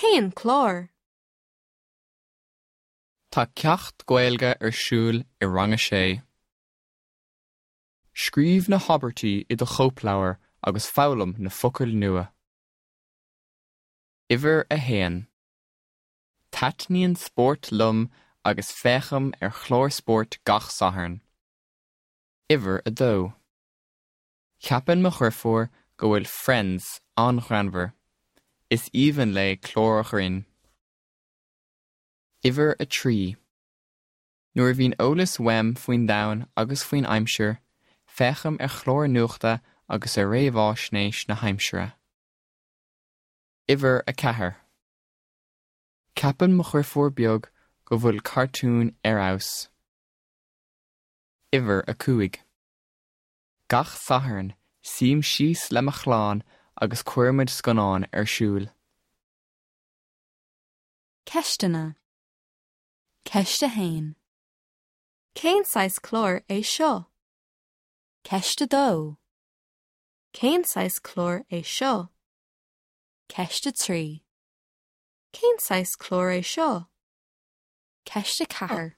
Cén clár? Tá ceacht Gaeilge ar siúl i rang a sé. Scríobh na habairtí i do chóipleabhar agus foghlaim na focail nua. Uimhir a haon. Taitníonn spórt liom agus féachaim ar chlár spóirt gach Satharn. Uimhir a dó. Ceapann mo dheirfiúr go bhfuil Friends an-ghreannmhar. Is aoibhinn léi cláir ghrinn. Uimhir a 3. Nuair a bhíonn eolas uaim faoin domhan agus faoin aimsir, féachaim ar chláir nuachta agus ar réamhaisnéis na haimsire. Uimhir 4. Ceapann mo dheirfiúr beag go bhfuil cartúin ar fheabhas. Uimhir 5. Gach Satharn, suím síos le mo chlann agus cuirimid scannán ar siúl. Ceisteanna. Ceist 1. Cén saghas cláir é seo? Ceist 2. Cén saghas cláir é seo? Ceist 3. Cén saghas cláir é seo? Ceist 4.